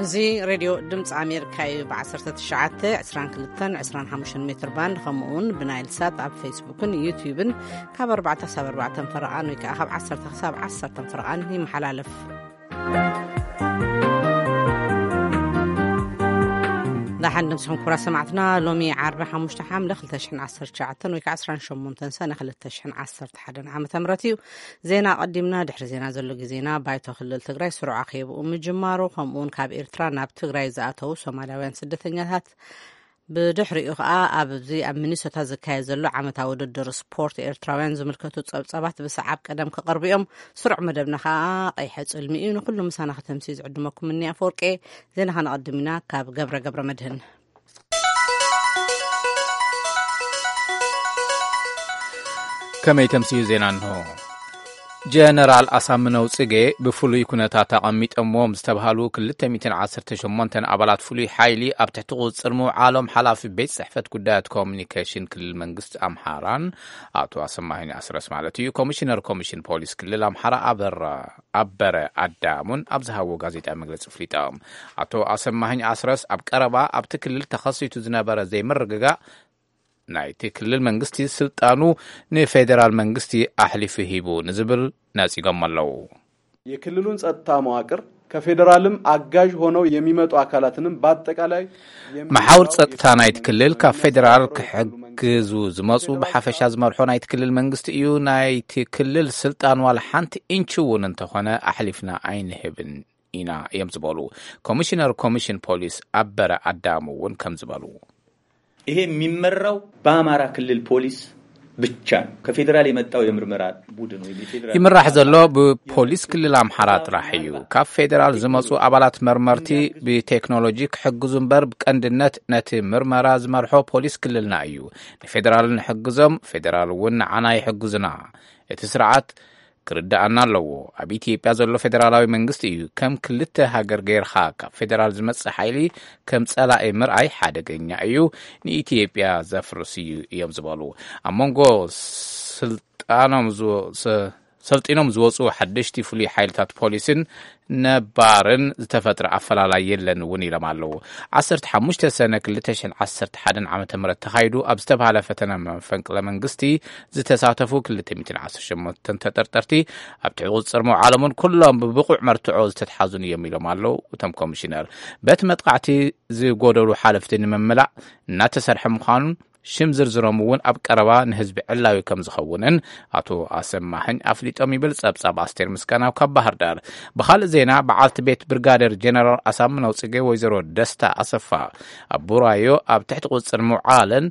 እዚ ሬድዮ ድምፂ ኣሜሪካ እዩ። ብ19፣ 22፣ 25 ሜትር ባንድ፣ ከምኡ እውን ብናይል ሳት ኣብ ፌስቡክን ዩትዩብን ካብ ኣርባዕተ ክሳብ ኣርባዕተ ፈረቓን ወይ ከዓ ካብ ዓሰርተ ክሳብ ዓሰርተ ፈረቓን ይመሓላለፍ። ዳሓን ድምፅኹም ክቡራት ሰማዕትና። ሎሚ ዓርቢ ሓሙሽተ ሓምለ ክልተ ሽሕን ዓሰርተ ትሽዓተን ወይ ከዓ ዓሰርተ ሸሞንተ ሰነ ክልተ ሽሕን ዓሰርተ ሓደን ዓመተ ምህረት እዩ። ዜና ኣቐዲምና። ድሕሪ ዜና ዘሎ ግዜና ባይቶ ክልል ትግራይ ስሩዕ ኣኼብኡ ምጅማሩ፣ ከምኡውን ካብ ኤርትራ ናብ ትግራይ ዝኣተዉ ሶማልያውያን ስደተኛታት፣ ብድሕሪኡ ከኣ ኣብዚ ኣብ ሚኒሶታ ዝካየድ ዘሎ ዓመታዊ ውድድር ስፖርት ኤርትራውያን ዝምልከቱ ጸብጻባት ብሰዓብ ቀደም ክቐርቡ እዮም። ስሩዕ መደብና ከኣ ቀይሐ ጽልሚ እዩ። ንኹሉ ምሳና ከተምስዩ ዝዕድመኩም እኒ ኣፈወርቄ። ዜና ከነቐድም ኢና ካብ ገብረ ገብረ መድህን። ከመይ ተምስዩ ዜና እንሆ። ጀነራል ኣሳምነው ጽጌ ብፍሉይ ኩነታት ኣቐሚጠምዎም ዝተባህሉ ክልተ ሚእትን ዓሰርተ ሸሞንተን ኣባላት ፍሉይ ሓይሊ ኣብ ትሕቲ ቁጽጽር ምውዓሎም ሓላፊ ቤት ጽሕፈት ጉዳያት ኮሙኒኬሽን ክልል መንግስቲ ኣምሓራን ኣቶ ኣሰማሂን ኣስረስ ማለት እዩ፣ ኮሚሽነር ኮሚሽን ፖሊስ ክልል ኣምሓራ ኣበራ ኣበረ ኣዳሙን ኣብ ዝሃቦ ጋዜጣ መግለጺ ኣፍሊጦም። ኣቶ ኣሰማሂኝ ኣስረስ ኣብ ቀረባ ኣብቲ ክልል ተኸሲቱ ዝነበረ ዘይምርግጋእ ናይቲ ክልል መንግስቲ ስልጣኑ ንፌዴራል መንግስቲ ኣሕሊፉ ሂቡ ንዝብል ነጺጎም ኣለዉ። የክልሉን ጸጥታ መዋቅር ከፌዴራልም አጋዥ ሆነው የሚመጡ አካላትንም በአጠቃላይ መሓውር ጸጥታ ናይቲ ክልል ካብ ፌዴራል ክሕግዙ ዝመጹ ብሓፈሻ ዝመርሖ ናይቲ ክልል መንግስቲ እዩ። ናይቲ ክልል ስልጣን ዋላ ሓንቲ ኢንች እውን እንተኾነ ኣሕሊፍና ኣይንህብን ኢና እዮም ዝበሉ ኮሚሽነር ኮሚሽን ፖሊስ ኣበረ ኣዳሙ እውን ከም ዝበሉ። ይሄ የሚመራው በአማራ ክልል ፖሊስ ብቻ ነው። ከፌዴራል የመጣው የምርመራ ቡድን ወይም የፌዴራል ይምራሕ ዘሎ ብፖሊስ ክልል ኣምሓራ ጥራሕ እዩ። ካብ ፌዴራል ዝመጹ ኣባላት መርመርቲ ብቴክኖሎጂ ክሕግዙ እምበር ብቀንድነት ነቲ ምርመራ ዝመርሖ ፖሊስ ክልልና እዩ። ንፌዴራል ንሕግዞም፣ ፌዴራል እውን ንዓና ይሕግዙና። እቲ ስርዓት ክርድኣና ኣለዎ። ኣብ ኢትዮጵያ ዘሎ ፌደራላዊ መንግስቲ እዩ። ከም ክልተ ሃገር ገይርኻ ካብ ፌደራል ዝመጽእ ሓይሊ ከም ጸላኢ ምርኣይ ሓደገኛ እዩ፣ ንኢትዮጵያ ዘፍርስ እዩ እዮም ዝበሉ። ኣብ መንጎ ስልጣኖም ዝወ-፣ ሰ-፣ ሰልጢኖም ዝወፁ ሓደሽቲ ፍሉይ ሓይልታት ፖሊስን ነባርን ዝተፈጥረ ኣፈላላይ የለን እውን ኢሎም ኣለዉ። ዓሰርተ ሓሙሽተ ሰነ ክልተ ሽሕን ዓሰርተ ሓደን ዓመተ ምህረት ተኻይዱ ኣብ ዝተባህለ ፈተነ መፈንቅለ መንግስቲ ዝተሳተፉ ክልተ ሚእትን ዓሰርተ ሸሞንተ ተጠርጠርቲ ኣብ ትሕቲ ቁፅፅር ምውዓሎምን ኩሎም ብብቑዕ መርትዖ ዝተትሓዙን እዮም ኢሎም ኣለዉ እቶም ኮሚሽነር። በቲ መጥቃዕቲ ዝጎደሉ ሓለፍቲ ንምምላእ እናተሰርሐ ምዃኑን ሽም ዝርዝሮም እውን ኣብ ቀረባ ንህዝቢ ዕላዊ ከም ዝኸውንን ኣቶ ኣሰማሕኝ ኣፍሊጦም ይብል ጸብጻብ ኣስቴር ምስጋናው ካብ ባህር ዳር። ብኻልእ ዜና፣ በዓልቲ ቤት ብርጋደር ጀነራል ኣሳምነው ጽጌ ወይዘሮ ደስታ ኣሰፋ ኣብ ቡራዮ ኣብ ትሕቲ ቁጽጽር ምውዓለን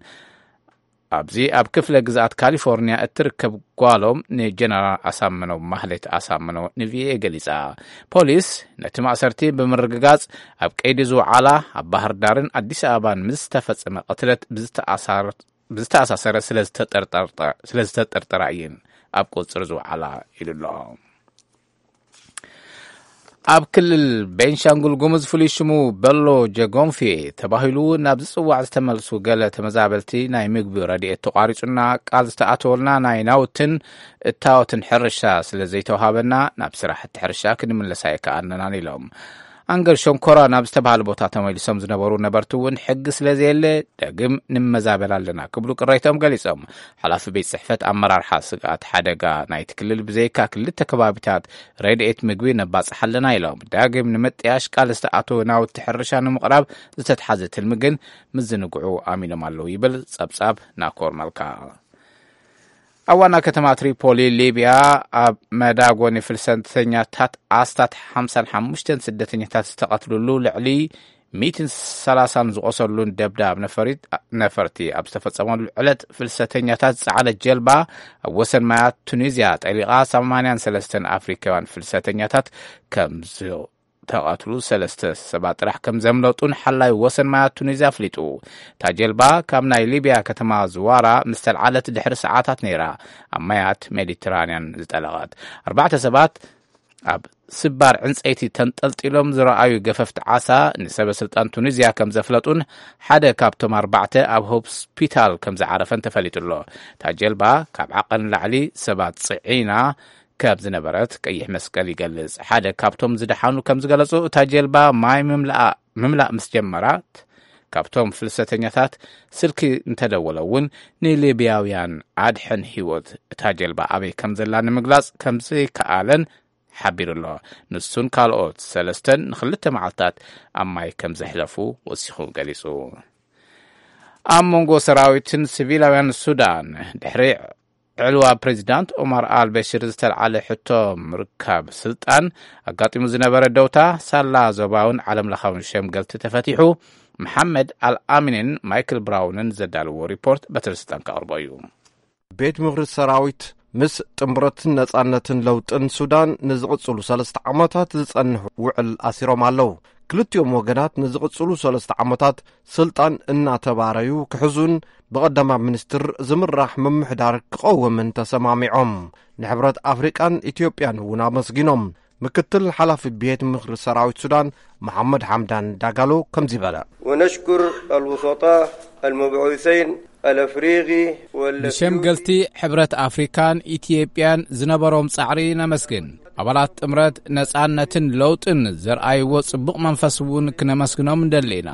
ኣብዚ ኣብ ክፍለ ግዝኣት ካሊፎርኒያ እትርከብ ጓሎም ንጀነራል ኣሳምነው ማህሌት ኣሳምነው ንቪኦኤ ገሊጻ። ፖሊስ ነቲ ማእሰርቲ ብምርግጋጽ ኣብ ቀይዲ ዝወዓላ ኣብ ባህር ዳርን ኣዲስ ኣበባን ምስ ዝተፈጸመ ቅትለት ብዝተኣሳር-፣ ብዝተኣሳሰረ ስለ ዝተጠርጠርጠ-፣ ስለ ዝተጠርጠራ እየን ኣብ ቁጽሪ ዝወዓላ ኢሉ ኣሎ። ኣብ ክልል ቤንሻንጉል ጉሙዝ ፍሉይ ሽሙ በሎ ጀጎንፌ ተባሂሉ ናብ ዝጽዋዕ ዝተመልሱ ገለ ተመዛበልቲ ናይ ምግቢ ረድኤት ተቋሪጹና ቃል ዝተኣተወልና ናይ ናውትን እታወትን ሕርሻ ስለ ዘይተዋሃበና ናብ ስራሕቲ ሕርሻ ክንምለስ ኣይከኣልናን ኢሎም። ኣንገር ሸንኮራ ናብ ዝተባህለ ቦታ ተመሊሶም ዝነበሩ ነበርቲ እውን ሕጊ ስለ ዘየለ ዳግም ንመዛበል ኣለና ክብሉ ቅሬቶም ገሊጾም። ሓላፊ ቤት ጽሕፈት ኣመራርሓ ስግኣት ሓደጋ ናይቲ ክልል ብዘይካ ክልተ ከባቢታት ረድኤት ምግቢ ነባጽሕ ኣለና ኢሎም። ዳግም ንምጥያሽ ቃል ዝተኣተወ ናውቲ ሕርሻ ንምቕራብ ዝተትሓዘ ትልሚ ግን ምዝንግዑ ኣሚኖም ኣለዉ ይብል ጸብጻብ ናኮር መልካ። ኣብ ዋና ከተማ ትሪፖሊ ሊብያ ኣብ መዳጎኒ ፍልሰተኛታት ኣስታት ሓምሳን ሓሙሽተን ስደተኛታት ዝተቐትልሉ ልዕሊ ሚእትን ሰላሳን ዝቖሰሉን ደብዳብ ነፈሪት-፣ ነፈርቲ ኣብ ዝተፈጸመሉ ዕለት ፍልሰተኛታት ዝጸዓነት ጀልባ ኣብ ወሰን ማያት ቱኒዝያ ጠሊቓ ሰማንያን ሰለስተን ኣፍሪካውያን ፍልሰተኛታት ከም ዝ-፣ ተቐትሉ ሰለስተ ሰባት ጥራሕ ከም ዘምለጡን ሓላይ ወሰን ማያት ቱኒዝያ ኣፍሊጡ። እታ ጀልባ ካብ ናይ ሊብያ ከተማ ዝዋራ ምስ ተልዓለት ድሕሪ ሰዓታት ነይራ ኣብ ማያት ሜዲትራንያን ዝጠለቐት። ኣርባዕተ ሰባት ኣብ ስባር ዕንጸይቲ ተንጠልጢሎም ዝረኣዩ ገፈፍቲ ዓሳ ንሰበ ስልጣን ቱኒዝያ ከም ዘፍለጡን ሓደ ካብቶም ኣርባዕተ ኣብ ሆስፒታል ከም ዝዓረፈን ተፈሊጡ ኣሎ። እታ ጀልባ ካብ ዓቐን ላዕሊ ሰባት ጽዒና ካብ ዝነበረት ቀይሕ መስቀል ይገልጽ። ሓደ ካብቶም ዝደሓኑ ከም ዝገለጹ፣ እታ ጀልባ ማይ ምምላእ፣ ምምላእ ምስ ጀመራት፣ ካብቶም ፍልሰተኛታት ስልኪ እንተደወለ እውን፣ ንሊብያውያን ኣድሕን ህይወት እታ ጀልባ ኣበይ ከም ዘላ ንምግላጽ ከም ዘይከኣለን ሓቢሩ ኣሎ። ንሱን ካልኦት ሰለስተን ንኽልተ መዓልታት ኣብ ማይ ከም ዘሕለፉ ወሲኹ ገሊጹ። ኣብ መንጎ ሰራዊትን ሲቪላውያን ሱዳን ድሕሪ ዕልዋ ፕሬዚዳንት ኦማር ኣልበሽር ዝተልዓለ ሕቶ ምርካብ ስልጣን ኣጋጢሙ ዝነበረ ደውታ፣ ሳላ ዞባውን ዓለምለኻውን ሸምገልቲ ተፈቲሑ። መሓመድ ኣልኣሚንን ማይክል ብራውንን ዘዳልዎ ሪፖርት በትረ ስልጣን ከቕርቦ እዩ። ቤት ምኽሪ ሰራዊት ምስ ጥምረትን ነጻነትን ለውጥን ሱዳን ንዝቕጽሉ ሰለስተ ዓመታት ዝጸንሑ ውዕል ኣሲሮም ኣለዉ። ክልቲኦም ወገናት ንዝቕጽሉ ሰለስተ ዓመታት ስልጣን እናተባረዩ ክሕዙን ብቐዳማይ ሚኒስትር ዝምራሕ ምምሕዳር ክቐውምን ተሰማሚዖም። ንሕብረት ኣፍሪቃን ኢትዮጵያን እውን ኣመስጊኖም። ምክትል ሓላፊ ቤት ምኽሪ ሰራዊት ሱዳን መሓመድ ሓምዳን ዳጋሎ ከምዚ በለ። ونشكر الوسطاء المبعوثين الأفريقي والذي ንሸምገልቲ ሕብረት ኣፍሪካን ኢትዮጵያን ዝነበሮም ጻዕሪ ነመስግን። ኣባላት ጥምረት ነጻነትን ለውጥን ዘርኣይዎ ጽቡቕ መንፈስ እውን ክነመስግኖም እንደሊ ኢና።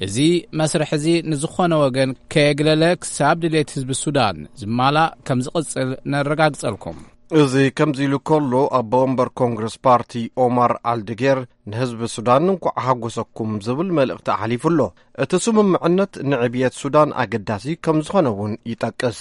እዚ መስርሕ እዚ ንዝኾነ ወገን ከየግለለ ክሳብ ድሌት ህዝቢ ሱዳን ዝማላእ ከም ዝቕጽል ነረጋግጸልኩም። እዚ ከምዚ ኢሉ ከሎ፣ ኣቦ ወንበር ኮንግረስ ፓርቲ ኦማር ኣልድጌር ንህዝቢ ሱዳን እንኳዕ ሓጎሰኩም ዝብል መልእኽቲ ኣሕሊፉ ኣሎ። እቲ ስምምዕነት ንዕብየት ሱዳን ኣገዳሲ ከም ዝኾነ እውን ይጠቅስ።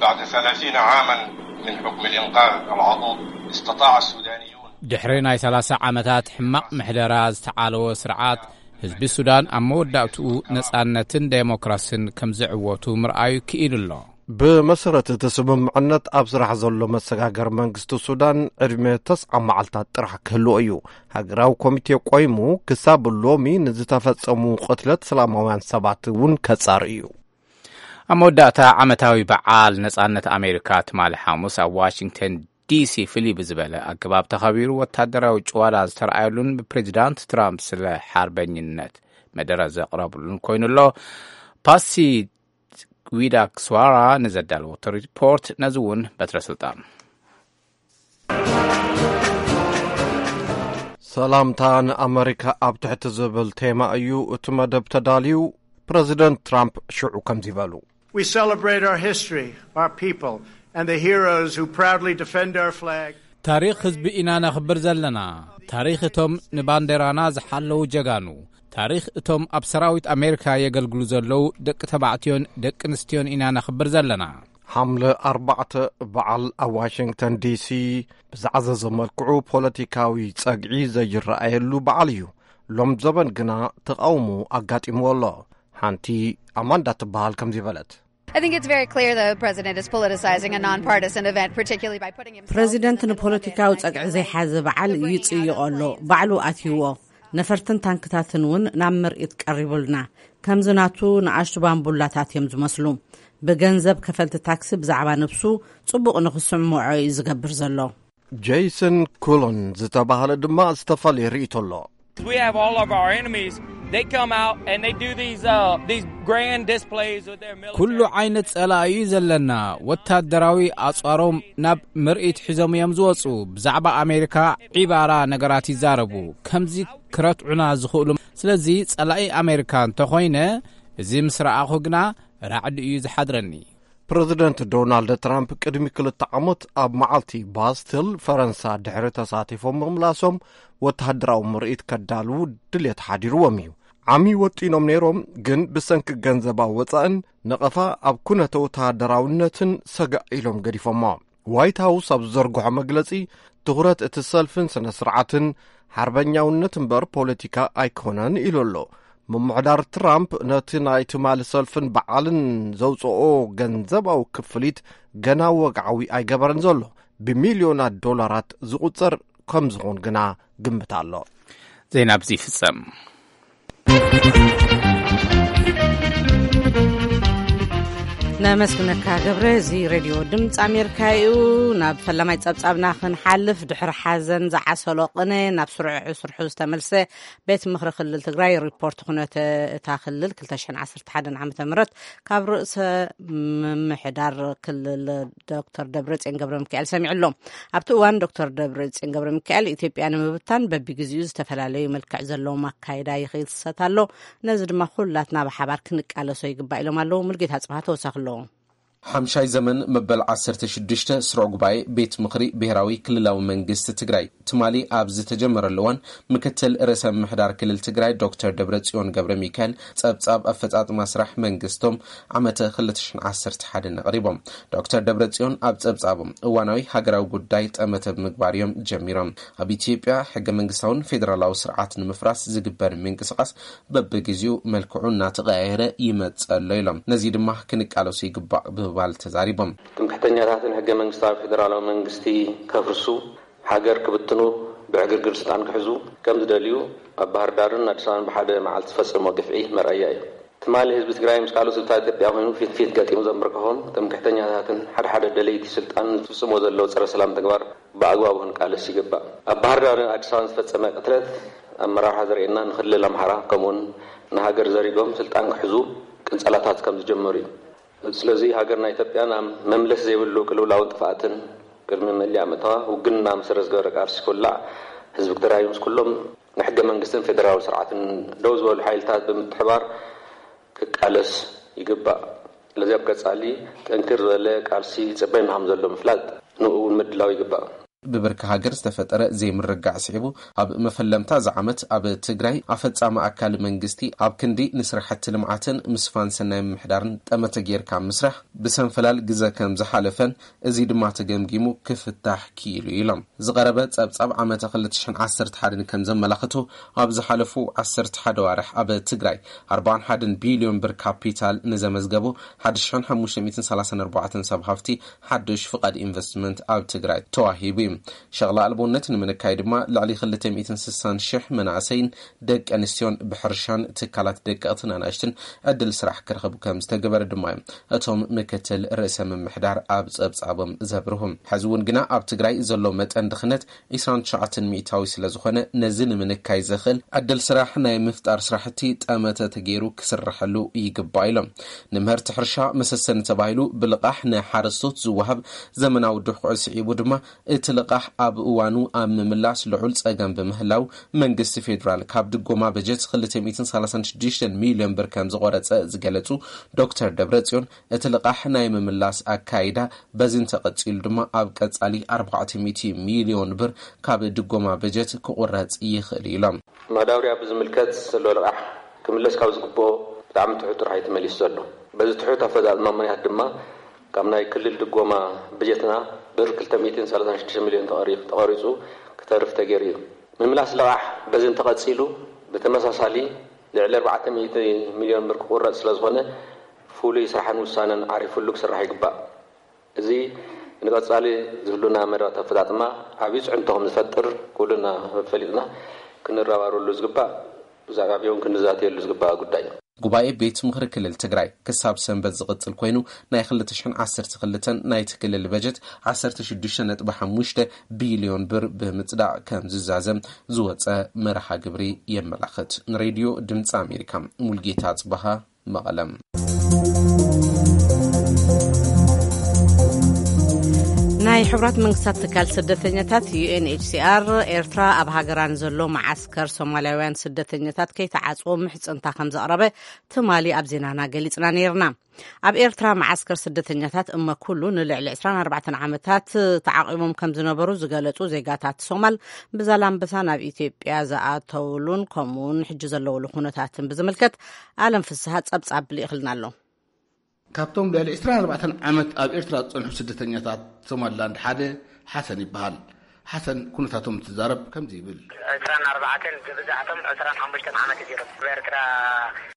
بعد ثلاثين عاما من حكم الإنقاذ العضوض استطاع السودانيون ድሕሪ ናይ ሰላሳ ዓመታት ሕማቕ ምሕደራ ዝተዓለወ ስርዓት፣ ህዝቢ ሱዳን ኣብ መወዳእትኡ ነጻነትን ዴሞክራስን ከም ዝዕወቱ ምርኣዩ ክኢሉ ኣሎ። ብመሰረት እቲ ስምምዕነት፣ ኣብ ስራሕ ዘሎ መሰጋገር መንግስቲ ሱዳን ዕድመ ተስዓ መዓልታት ጥራሕ ክህልዎ እዩ። ሃገራዊ ኮሚቴ ቆይሙ ክሳብ ሎሚ ንዝተፈጸሙ ቅትለት ሰላማውያን ሰባት እውን ከጻሪ እዩ። ኣብ መወዳእታ ዓመታዊ በዓል ነጻነት ኣሜሪካ ትማሊ ሓሙስ ኣብ ዋሽንግተን ዲሲ ፍልይ ብዝበለ ኣገባብ ተኸቢሩ፣ ወታደራዊ ጭዋዳ ዝተረኣየሉን ብፕሬዚዳንት ትራምፕ ስለ ሓርበኝነት መደረ ዘቕረብሉን ኮይኑ ኣሎ። ፓሲ ዊዳክስዋራ ንዘዳለወቶ ሪፖርት ነዚ እውን በትረ ስልጣን። ሰላምታ ንኣመሪካ ኣብ ትሕቲ ዝብል ቴማ እዩ እቲ መደብ ተዳልዩ። ፕረዚደንት ትራምፕ ሽዑ ከምዚ በሉ። We celebrate our history, our people, and the heroes who proudly defend our flag. ታሪኽ ህዝቢ ኢና ነኽብር ዘለና። ታሪኽ እቶም ንባንዴራና ዝሓለዉ ጀጋኑ፣ ታሪኽ እቶም ኣብ ሰራዊት ኣሜሪካ የገልግሉ ዘለዉ ደቂ ተባዕትዮን ደቂ ኣንስትዮን ኢና ነኽብር ዘለና። ሓምለ ኣርባዕተ በዓል ኣብ ዋሽንግተን ዲሲ ብዝዓዘዘ መልክዑ ፖለቲካዊ ጸግዒ ዘይረኣየሉ በዓል እዩ። ሎም ዘበን ግና ተቓውሞ ኣጋጢምዎ ኣሎ። ሓንቲ ኣማንዳ ትበሃል ከምዚ በለት። I think it's very clear the president is politicizing a nonpartisan event, particularly by putting himself ፕረዚደንት ንፖለቲካዊ ጸግዒ ዘይሓዘ በዓል ይጽይቖ ኣሎ። ባዕሉ ኣትይዎ። ነፈርትን ታንክታትን እውን ናብ ምርኢት ቀሪቡልና። ከምዚ ናቱ ንኣሽቱ ባምቡላታት እዮም ዝመስሉ። ብገንዘብ ከፈልቲ ታክሲ ብዛዕባ ነብሱ ጽቡቕ ንኽስምዖ እዩ ዝገብር ዘሎ። ጄይሰን ኩሎን ዝተባህለ ድማ ዝተፈላለየ ርእይቶ ኣሎ። We have all of our enemies. They come out and they do these, uh, these grand displays with their military. ኩሉ ዓይነት ጸላኢ እዩ ዘለና። ወታደራዊ ኣጽዋሮም ናብ ምርኢት ሒዞም እዮም ዝወጹ። ብዛዕባ ኣሜሪካ ዒባራ ነገራት ይዛረቡ። ከምዚ ክረትዑና ዝኽእሉ። ስለዚ ጸላኢ ኣሜሪካ እንተኾይነ፣ እዚ ምስ ረኣኹ ግና ራዕዲ እዩ ዝሓድረኒ። ፕረዚደንት ዶናልድ ትራምፕ ቅድሚ ክልተ ዓመት ኣብ መዓልቲ ባስትል ፈረንሳ ድሕሪ ተሳቲፎም ምምላሶም፣ ወተሃደራዊ ምርኢት ከዳልዉ ድሌት ሓዲርዎም እዩ። ዓሚ ወጢኖም ነይሮም፣ ግን ብሰንኪ ገንዘባዊ ወጻእን ነቐፋ ኣብ ኩነተ ወተሃደራውነትን ሰጋእ ኢሎም ገዲፎሞ። ዋይት ሃውስ ኣብ ዝዘርግሖ መግለጺ፣ ትኹረት እቲ ሰልፍን ስነ ስርዓትን ሓርበኛውነት እምበር ፖለቲካ ኣይኮነን ኢሉ ኣሎ። ምምሕዳር ትራምፕ ነቲ ናይ ትማሊ ሰልፍን በዓልን ዘውጽኦ ገንዘባዊ ክፍሊት ገና ወግዓዊ ኣይገበረን ዘሎ። ብሚልዮናት ዶላራት ዝቑጸር ከም ዝኾን ግና ግምት ኣሎ። ዜና ኣብዚ ይፍጸም። ነመስግነካ ገብረ። እዚ ሬድዮ ድምፂ ኣሜሪካ እዩ። ናብ ፈላማይ ጸብጻብና ክንሓልፍ፣ ድሕሪ ሓዘን ዝዓሰሎ ቅነ ናብ ስርሑ ስርሑ ዝተመልሰ ቤት ምኽሪ ክልል ትግራይ ሪፖርት ኩነተ እታ ክልል ክልተ ሽሕን ዓሰርተ ሓደን ዓመተ ምህረት ካብ ርእሰ ምምሕዳር ክልል ዶክተር ደብረጽዮን ገብረ ሚካኤል ሰሚዑ ኣሎ። ኣብቲ እዋን ዶክተር ደብረጽዮን ገብረ ሚካኤል፣ ኢትዮጵያ ንምብታን በቢግዚኡ ዝተፈላለዩ መልክዕ ዘለዎም ኣካይዳ ይኽሰት ኣሎ፣ ነዚ ድማ ኩላትና ብሓባር ክንቃለሶ ይግባእ ኢሎም ኣለዉ። ሙልጌታ ጽብሃ ተወሳኺ ኣለዎ። ሓምሻይ ዘመን መበል ዓሰርተ ሽዱሽተ ስሩዕ ጉባኤ ቤት ምኽሪ ብሔራዊ ክልላዊ መንግስቲ ትግራይ ትማሊ ኣብ ዝተጀመረሉ እዋን፣ ምክትል ርእሰ ምምሕዳር ክልል ትግራይ ዶክተር ደብረጽዮን ገብረ ሚካኤል ጸብጻብ ኣፈጻጽማ ስራሕ መንግስቶም ዓመተ ክልተ ሽሕን ዓሰርተ ሓደን ኣቕሪቦም። ዶክተር ደብረጽዮን ኣብ ጸብጻቦም፣ እዋናዊ ሃገራዊ ጉዳይ ጠመተ ብምግባር እዮም ጀሚሮም። ኣብ ኢትዮጵያ ሕገ መንግስታውን ፌደራላዊ ስርዓት ንምፍራስ ዝግበር ምንቅስቓስ በብግዚኡ መልክዑ እናተቐያየረ ይመጽእ ኣሎ ኢሎም። ነዚ ድማ ክንቃለሶ ይግባእ ብምባል ተዛሪቦም። ትምክሕተኛታትን ሕገ መንግስታዊ ፌደራላዊ መንግስቲ ከፍርሱ፣ ሃገር ክብትኑ፣ ብዕግርግር ስልጣን ክሕዙ ከም ዝደልዩ ኣብ ባህር ዳርን ኣዲስ ኣበባን ብሓደ መዓልቲ ዝፈጸሞ ግፍዒ መርኣያ እዩ። ትማሊ ህዝቢ ትግራይ ምስ ካልኦት ህዝብታት ኢትዮጵያ ኮይኑ ፊት ፊት ገጢሙ ዘንበርከኾም ትምክሕተኛታትን ሓደ ሓደ ደለይቲ ስልጣን ዝፍጽሞ ዘለዉ ጸረ ሰላም ተግባር ብኣግባቡ ክንቃለስ ይግባእ። ኣብ ባህር ዳርን ኣዲስ ኣበባን ዝፈጸመ ቅትለት ኣመራርሓ ዘርእየና ንክልል ኣምሓራ ከምኡውን ንሃገር ዘሪጎም ስልጣን ክሕዙ ቅንጸላታት ከም ዝጀመሩ እዩ። ስለዚ ሃገርና ኢትዮጵያ ናብ መምለስ ዘይብሉ ቅልውላውን ጥፍኣትን ቅድሚ መሊኣ ምእታዋ ውግንና መሰረት ዝገበረ ቃልሲ ክውላዕ ህዝቢ ትግራይ ምስ ኩሎም ንሕገ መንግስትን ፌደራላዊ ስርዓትን ደው ዝበሉ ሓይልታት ብምትሕባር ክቃለስ ይግባእ። ስለዚ ኣብ ቀጻሊ ጠንክር ዝበለ ቃልሲ ይጽበየና ከም ዘሎ ምፍላጥ ንኡ እውን ምድላው ይግባእ። ብብርኪ ሃገር ዝተፈጠረ ዘይምርግጋዕ ስዒቡ፣ ኣብ መፈለምታ እዚ ዓመት ኣብ ትግራይ ኣፈጻሚ ኣካል መንግስቲ ኣብ ክንዲ ንስራሕቲ ልምዓትን ምስፋን ሰናይ ምምሕዳርን ጠመተ ጌርካ ምስራሕ ብሰንፈላል ግዘ ከም ዝሓለፈን፣ እዚ ድማ ተገምጊሙ ክፍታሕ ክኢሉ ኢሎም። ዝቐረበ ጸብጻብ ዓመተ ክልተ ሽሕን ዓሰርተ ሓደን ከም ዘመላኽቶ፣ ኣብ ዝሓለፉ ዓሰርተ ሓደ ዋርሕ ኣብ ትግራይ ኣርባዓን ሓደን ቢልዮን ብር ካፒታል ንዘመዝገቡ ሓደ ሽሕን ሓሙሽተ ሚእትን ሰላሳን ኣርባዕተን ሰብ ሃፍቲ ሓድሽ ፍቓድ ኢንቨስትመንት ኣብ ትግራይ ተዋሂቡ እዩ። ሸቕላ ኣልቦነት ንምንካይ ድማ ልዕሊ ክልተ ሚእትን ስሳን ሽሕ መናእሰይን ደቂ ኣንስትዮን ብሕርሻን ትካላት ደቀቕትን ኣናእሽትን ዕድል ስራሕ ክረኽቡ ከም ዝተገበረ ድማ እዮም እቶም ምክትል ርእሰ ምምሕዳር ኣብ ጸብጻቦም ዘብርሁ። ሕዚ እውን ግና ኣብ ትግራይ ዘሎ መጠን ድኽነት ዒስራን ትሽዓተን ሚእታዊ ስለ ዝኾነ፣ ነዚ ንምንካይ ዘኽእል ዕድል ስራሕ ናይ ምፍጣር ስራሕቲ ጠመተ ተገይሩ ክስርሐሉ ይግባእ ኢሎም። ንምህርቲ ሕርሻ መሰሰኒ ተባሂሉ ብልቓሕ ንሓረስቶት ዝወሃብ ዘመናዊ ድኹዒ ስዒቡ ድማ፣ እቲ ልቓሕ ኣብ እዋኑ ኣብ ምምላስ ልዑል ጸገም ብምህላው፣ መንግስቲ ፌዴራል ካብ ድጎማ በጀት ክልተ ሚእትን ሰላሳን ሽዱሽተን ሚልዮን ብር ከም ዝቖረጸ ዝገለጹ ዶክተር ደብረጽዮን፣ እቲ ልቓሕ ናይ ምምላስ ኣካይዳ በዚ እንተቐጺሉ ድማ፣ ኣብ ቀጻሊ ኣርባዕተ ሚእቲ ሚልዮን ብር ካብ ድጎማ በጀት ክቑረጽ ይኽእል እዩ ኢሎም። ማዳበርያ ብዝምልከት ዘሎ ልቓሕ ክምለስ ካብ ዝግብኦ ብጣዕሚ ትሑት ጥራሕ እዩ ተመሊሱ ዘሎ። በዚ ትሑት ኣፈጻጽማ ምኽንያት ድማ፣ ካብ ናይ ክልል ድጎማ በጀትና ብር ክልተ ሚእትን ሰላሳን ሽዱሽተ ሚልዮን ተቐሪ-፣ ተቐሪጹ ክተርፍ ተገይሩ እዩ። ምምላስ ልቓሕ በዚ እንተቐጺሉ፣ ብተመሳሳሊ ልዕሊ ኣርባዕተ ሚእቲ ሚልዮን ብር ክቑረጽ ስለ ዝኾነ፣ ፍሉይ ስራሕን ውሳነን ዓሪፉሉ ክስራሕ ይግባእ። እዚ ንቐጻሊ ዝህሉና መደባት ኣፈጻጽማ ዓብዪ ጽዕንቶ ከም ዝፈጥር ኩልና ፈሊጥና ክንረባረበሉ ዝግባእ፣ ብዛዕባ እውን ክንዛተየሉ ዝግባእ ጉዳይ እዩ። ጉባኤ ቤት ምኽሪ ክልል ትግራይ ክሳብ ሰንበት ዝቕጽል ኮይኑ፣ ናይ ክልተ ሽሕን ዓሰርተ ክልተን ናይቲ ክልል በጀት ዓሰርተ ሽዱሽተ ነጥቢ ሓሙሽተ ቢልዮን ብር ብምጽዳቕ ከም ዝዛዘም ዝወጸ መርሃ ግብሪ የመላኽት። ንሬድዮ ድምፂ ኣሜሪካ፣ ሙልጌታ ጽባሃ፣ መቐለ። ናይ ሕቡራት መንግስታት ትካል ስደተኛታት፣ ዩ ኤን ኤች ሲ ኣር፣ ኤርትራ ኣብ ሃገራ ንዘሎ መዓስከር ሶማልያውያን ስደተኛታት ከይተዓጽዎ ምሕጽንታ ከም ዘቕረበ ትማሊ ኣብ ዜናና ገሊጽና ነይርና። ኣብ ኤርትራ መዓስከር ስደተኛታት እመ ኩሉ ንልዕሊ ዕስራን ኣርባዕተን ዓመታት ተዓቒቦም ከም ዝነበሩ ዝገለጹ ዜጋታት ሶማል፣ ብዛላምበሳ ናብ ኢትዮጵያ ዝኣተውሉን ከምኡውን ሕጂ ዘለውሉ ኩነታትን ብዝምልከት ኣለም ፍስሃ ጸብጻብ ልኢኽልና ኣሎ። ካብቶም ልዕሊ ዕስራን ኣርባዕተን ዓመት ኣብ ኤርትራ ዝጸንሑ ስደተኛታት ሶማልላንድ ሓደ ሓሰን ይበሃል። ሓሰን ኩነታቶም እንትዛረብ ከምዚ ይብል። ዕስራን ኣርባዕተን፣ ዝብዛሕቶም ዕስራን ሓሙሽተን ዓመት እዩ። ኣብ ኤርትራ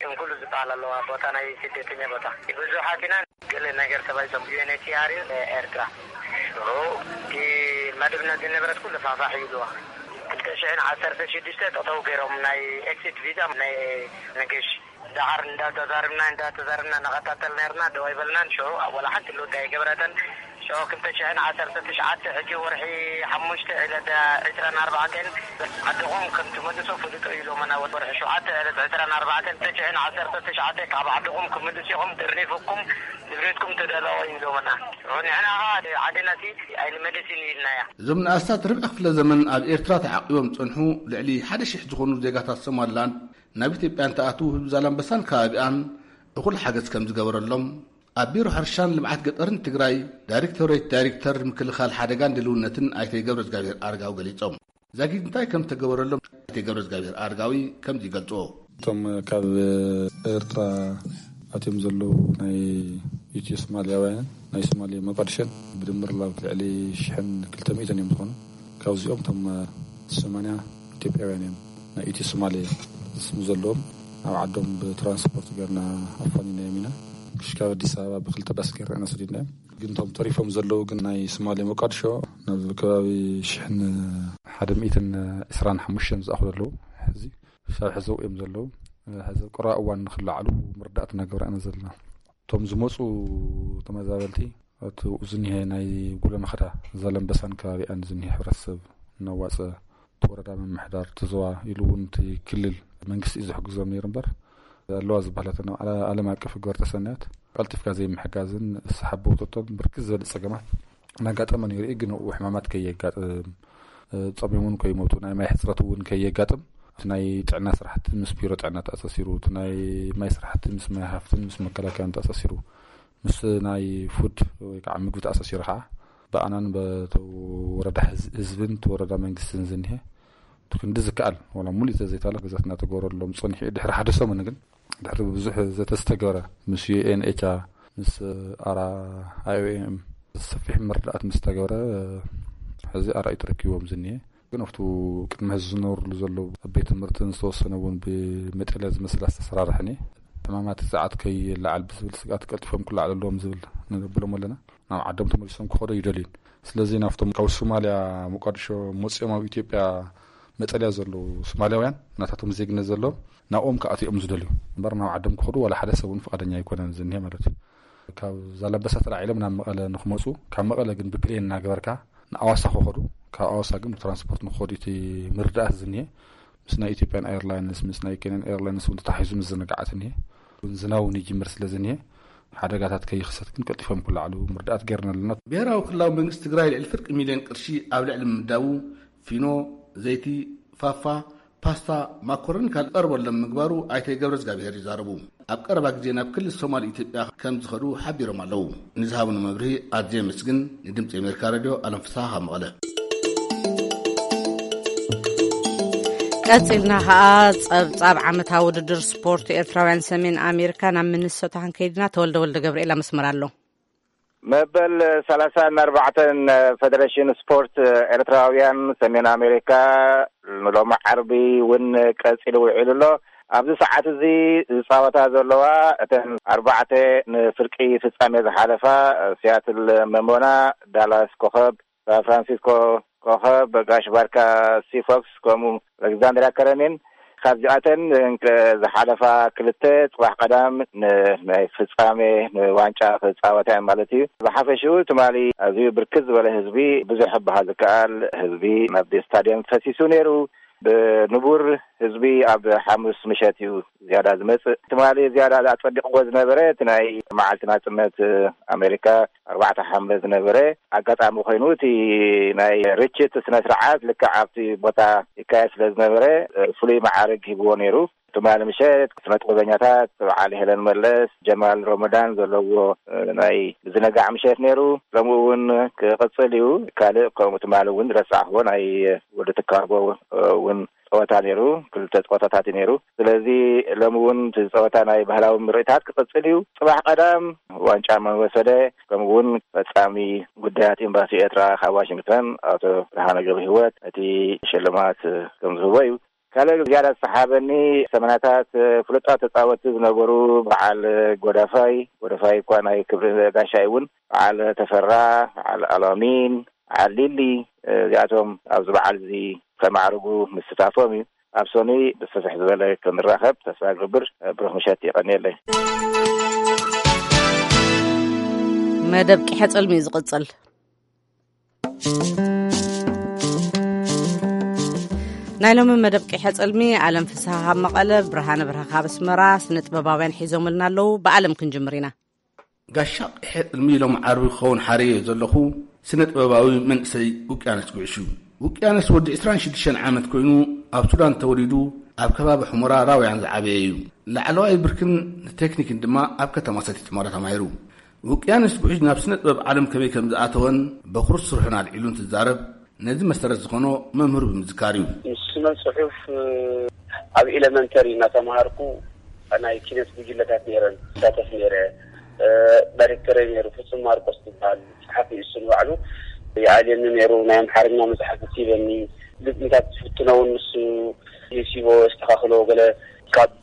እንኩሉ ዝበሃል ኣለዋ፣ ቦታ ናይ ስደተኛ ቦታ። ብዙሓት ኢና። ገለ ነገር ተባሂሎም ዩ ኤን ኤች ሲ ኣር እዩ ኤርትራ። ሽዑ እቲ መደብነት ዝነበረት ኩሉ ፋሕፋሕ ይብልዋ። ክልተ ሽሕን ዓሰርተ ሽዱሽተ ጠጠው ገይሮም ናይ ኤክሲት ቪዛ ናይ ነገሽ ደሓር እንዳተዛርብና እንዳተዛርብና እናኸታተል ነርና፣ ደው ኣይበልናን። ሽዑ ኣብ ወላ ሓንቲ ለውጢ ኣይገበረትን። ሽዑ ክልተ ሽሕን ዓሰርተ ትሽዓተ፣ ሕጂ ወርሒ ሓሙሽተ ዕለት ዕስራን ኣርባዕተን ዓድኹም ከም ትመልሱ ፍልጦ ኢሎምና። ወርሒ ሸውዓተ ዕለት ዕስራን ኣርባዕተን ክልተ ሽሕን ዓሰርተ ትሽዓተ ካብ ዓድኹም ክምልስ ኢኹም፣ ደሪፍኩም ንብሬትኩም ተዳለዎ ኢሎምና። ሽዑ ንሕና ኸዓ ዓድናሲ ኣይንመልስን ኢልናያ። እዞም ንኣስታት ርብዒ ክፍለ ዘመን ኣብ ኤርትራ ተዓቂቦም ዝጸንሑ ልዕሊ ሓደ ሽሕ ዝኾኑ ዜጋታት ሶማሊላንድ ናብ ኢትዮጵያ እንትኣትዉ፣ ህዝቢ ዛላምበሳን ከባቢኣን እኹል ሓገዝ ከም ዝገበረሎም ኣብ ቢሮ ሕርሻን ልምዓት ገጠርን ትግራይ ዳይሬክቶሬት ዳይሬክተር ምክልኻል ሓደጋን ድልውነትን ኣይተ ገብረዝጋብሔር ኣረጋዊ ገሊጾም። ዛጊድ እንታይ ከም ዝተገበረሎም ኣይተ ገብረዝጋብሔር ኣረጋዊ ከምዚ ይገልጽዎ። እቶም ካብ ኤርትራ ኣትዮም ዘለዉ ናይ ኢትዮ ሶማልያውያን፣ ናይ ሶማሌ መቃድሸን ብድምር ላብ ልዕሊ ሽሕን ክልተ ሚእትን እዮም ዝኾኑ። ካብዚኦም እቶም ሰማንያ ኢትዮጵያውያን እዮም፣ ናይ ኢትዮ ሶማሌ ስም ዘለዎም። ኣብ ዓዶም ብትራንስፖርት ገርና ኣፋኒናዮም ኢና። ክሽካብ ኣዲስ ኣበባ ብክልተ ባስ ገርና ኢና ሰዲድናዮም። ግን እቶም ተሪፎም ዘለዉ ግን ናይ ሶማሌ መቃድሾ ናብ ከባቢ ሽሕን ሓደ ሚእትን ዕስራን ሓሙሽተን ዝኣኽሉ ኣለዉ። ሕዚ ክሳብ ሕዚ እዮም ዘለዉ። ሕዚ ቁራ እዋን ንክለዓሉ ምርዳእት እናገብራ ኢና ዘለና። እቶም ዝመፁ ተመዛበልቲ እቲ ዝኒሀ ናይ ጉለመኸዳ ዛላምበሳን ከባቢኣን ዝኒሀ ሕብረተሰብ እናዋፀ እቲ ወረዳ ምምሕዳር እቲ ዞባ ኢሉ እውን እቲ ክልል መንግስቲ እዩ ዝሕግዞም ነይሩ እምበር ኣለዋ ዝበሃለት ዓለ- ዓለም ኣቀፍ ህገ ወርጠ ሰናያት ቀልጢፍካ ዘይምሕጋዝን ስሓቦቶቶን ብርክት ዝበለ ፀገማት እናጋጠመ ነይሩ እዩ። ግን ኣብኡ ሕማማት ከየጋጥም ጸሚሞም ከይሞቱ ናይ ማይ ሕጽረት እውን ከየጋጥም እቲ ናይ ጥዕና ስራሕቲ ምስ ቢሮ ጥዕና ተኣሳሲሩ፣ እቲ ናይ ማይ ስራሕቲ ምስ ማይ ሃፍትን ምስ መከላከያን ተኣሳሲሩ፣ ምስ ናይ ፉድ ወይ ከዓ ምግቢ ተኣሳሲሩ ከዓ ብኣናን በቲ ወረዳ ህዝ- ህዝብን እቲ ወረዳ መንግስትን ዝኒሀ እቲ ክንዲ ዝከኣል ዋላ ሙሉእ ተዘይተባለ ገዛት እናተገበረሎም ጸኒሑ እዩ። ድሕሪ ሓደ ሰሙን ግን ድሕሪ ብዙሕ ዘተዝተገበረ ምስ ዩኤንኤችኣ ምስ ኣራ ኣይኦኤም ሰፊሕ ምርዳእት ምስ ተገበረ ሕዚ ኣራእዩ ተረኪቦም ዝኒሀ ግን ኣብቱ ቅድሚ ሕዚ ዝነብርሉ ዘለዉ ኣብ ቤት ትምህርትን ዝተወሰነ እውን ብመጠልያ ዝመስላ ዝተሰራርሐን እየ። ሕማማት ሰዓት ከይለዓል ብዝብል ስግኣት ቀልጢፎም ክለዓሉ ኣለዎም ዝብል ንብሎም ኣለና። ናብ ዓዶም ተመሊሶም ክኸዶ ይደልዩን ስለዚ ናብቶም ካብ ሶማልያ ሞቃዲሾ መፅኦም ኣብ ኢትዮጵያ መጠልያ ዘለዉ ሶማልያውያን ናታቶም ዜግነት ዘለዎም ናብኦም ክኣትዮም ዝደልዩ እምበር ናብ ዓዶም ክኸዱ ዋላ ሓደ ሰብ እውን ፍቓደኛ ኣይኮነን ዝኒሀ ማለት እዩ። ካብ ዛላምበሳ ተላዒሎም ናብ መቐለ ንክመፁ ካብ መቐለ ግን ብፕሌን እናገበርካ ንኣዋሳ ክኸዱ ካብ ኣዋሳ ግን ብትራንስፖርት ንክኸዱ እቲ ምርዳእት ዝኒሀ ምስ ናይ ኢትዮጵያን ኤርላይንስ ምስ ናይ ኬንያን ኤርላይንስ እውን ተታሒዙ ምዝንጋዓት እኒሀ። ዝናብ እውን ይጅምር ስለ ዝኒሀ ሓደጋታት ከይኽሰት ግን ቀልጢፎም ክለዓሉ ምርዳእት ገይርና ኣለና። ብሄራዊ ክልላዊ መንግስቲ ትግራይ ልዕሊ ፍርቂ ሚልዮን ቅርሺ ኣብ ልዕሊ ምምዳቡ ፊኖ፣ ዘይቲ፣ ፋፋ፣ ፓስታ፣ ማኮረኒ ካልእ ቀርበሎም ምግባሩ ኣይተ ገብረዝጋብሄር ይዛረቡ። ኣብ ቀረባ ግዜ ናብ ክልል ሶማል ኢትዮጵያ ከም ዝኸዱ ሓቢሮም ኣለዉ። ንዝሃቡኒ መብርሂ ኣዝየ የመስግን። ንድምፂ ኣሜሪካ ሬድዮ ኣለም ፍስሃ ካብ መቐለ። ቀጺልና ከኣ ጸብጻብ ዓመታዊ ውድድር ስፖርት ኤርትራውያን ሰሜን ኣሜሪካ ናብ ሚኒሶታ ክንከይድና ተወልደ ወልደ ገብርኤል ኣብ መስመር ኣሎ። መበል ሰላሳን ኣርባዕተን ፈደረሽን ስፖርት ኤርትራውያን ሰሜን ኣሜሪካ ንሎሚ ዓርቢ እውን ቀጺሉ ውዒሉ ኣሎ። ኣብዚ ሰዓት እዚ ዝጻወታ ዘለዋ እተን ኣርባዕተ ንፍርቂ ፍጻሜ ዝሓለፋ ሲያትል መሞና፣ ዳላስ ኮኸብ፣ ሳን ፍራንሲስኮ ኮኸብ፣ ጋሽ ባርካ ሲፎክስ ከምኡ ኣሌክዛንድር ኣከረኒን ካብዚኣተን ዝሓለፋ ክልተ ጽባሕ ቀዳም ንናይ ፍጻሜ ንዋንጫ ክጻወታ እየን ማለት እዩ። ብሓፈሽኡ ትማሊ ኣዝዩ ብርክት ዝበለ ህዝቢ፣ ብዙሕ ክበሃል ዝከኣል ህዝቢ ናብቲ ስታድየም ፈሲሱ ነይሩ። ብንቡር ህዝቢ ኣብ ሓሙስ ምሸት እዩ ዝያዳ ዝመጽእ። ትማሊ ዝያዳ ኣጸቢቕዎ ዝነበረ እቲ ናይ መዓልቲ ናጽነት ኣሜሪካ ኣርባዕተ ሓምለ ዝነበረ ኣጋጣሚ ኮይኑ፣ እቲ ናይ ርችት ስነ ስርዓት ልክዕ ኣብቲ ቦታ ይካየድ ስለ ዝነበረ ፍሉይ መዓርግ ሂብዎ ነይሩ። ትማሊ ምሸት ስነ ጥበበኛታት በዓል ሄለን መለስ፣ ጀማል ረመዳን ዘለዎ ናይ ምዝንጋዕ ምሸት ነይሩ። ሎሚ እውን ክቕጽል እዩ። ካልእ ከምኡ ትማሊ እውን ረሳዕዎ ናይ ወዲ ትካቦ እውን ጸወታ ነይሩ። ክልተ ጸወታታት እዩ ነይሩ። ስለዚ ሎሚ እውን እቲ ጸወታ ናይ ባህላዊ ምርኢታት ክቕጽል እዩ። ጽባሕ ቀዳም ዋንጫ መን ወሰደ፣ ከምኡ እውን ፈጻሚ ጉዳያት ኤምባሲ ኤርትራ ካብ ዋሽንግተን ኣቶ ብርሃነ ገብረሂወት ነቲ ሽልማት ከም ዝህቦ እዩ። ካልእ ዝያዳ ዝሰሓበኒ ሰመናታት ፍሉጣት ተጻወትቲ ዝነበሩ በዓል ጎዳፋይ፣ ጎዳፋይ እኳ ናይ ክብሪ ጋሻይ እውን፣ በዓል ተፈራ፣ በዓል ኣላሚን፣ በዓል ሊሊ፣ እዚኣቶም ኣብዚ በዓል እዚ ከማዕርጉ ምስታፎም እዩ። ኣብ ሰኑይ ብስፍሕ ዝበለ ክንራኸብ ተስፋ ገብር። ብሩኽ ምሸት፣ የቐንየለይ። መደብ ቂሐ ጽልሚ እዩ ዝቕጽል። ናይ ሎሚ መደብ ቂሐ ጽልሚ፣ ኣለም ፍስሃ ካብ መቐለ፣ ብርሃነ ብርሃ ካብ ኣስመራ፣ ስነ ጥበባውያን ሒዞምልና ኣለዉ። ብኣለም ክንጅምር ኢና። ጋሻ ቂሐ ጽልሚ ሎም ዓርቢ ክኸውን ሓረዮ ዘለኹ ስነ ጥበባዊ መንእሰይ ውቅያኖስ ጉዕሽ እዩ። ውቅያኖስ ወዲ ዕስራን ሽዱሽተን ዓመት ኮይኑ፣ ኣብ ሱዳን ተወሊዱ፣ ኣብ ከባቢ ሑመራ ራውያን ዝዓበየ እዩ። ላዕለዋይ ብርክን ንቴክኒክን ድማ ኣብ ከተማ ሰቲት ሑመራ ተማሂሩ። ውቅያኖስ ጉዕሽ ናብ ስነ ጥበብ ዓለም ከመይ ከም ዝኣተወን በኹሪ ስርሑን ኣልዒሉ እንትዛረብ፣ ነዚ መሰረት ዝኾኖ መምህሩ ብምዝካር እዩ። ስነ ጽሑፍ ኣብ ኤለመንተሪ እናተማሃርኩ ናይ ኪነት ጉጅለታት ነይረን ይሳተፍ ነይረ። ዳይሬክተረይ ነይሩ፣ ፍጹም ማርቆስ ዝበሃል ጸሓፊ፣ እሱ ንባዕሉ ይኣልየኒ ነይሩ። ናይ ኣምሓርኛ መጽሓፍ ይበኒ፣ ግጥምታት ዝፍትኖ እውን ንሱ ይሲቦ፣ የስተኻኽሎ። ገለ ካብ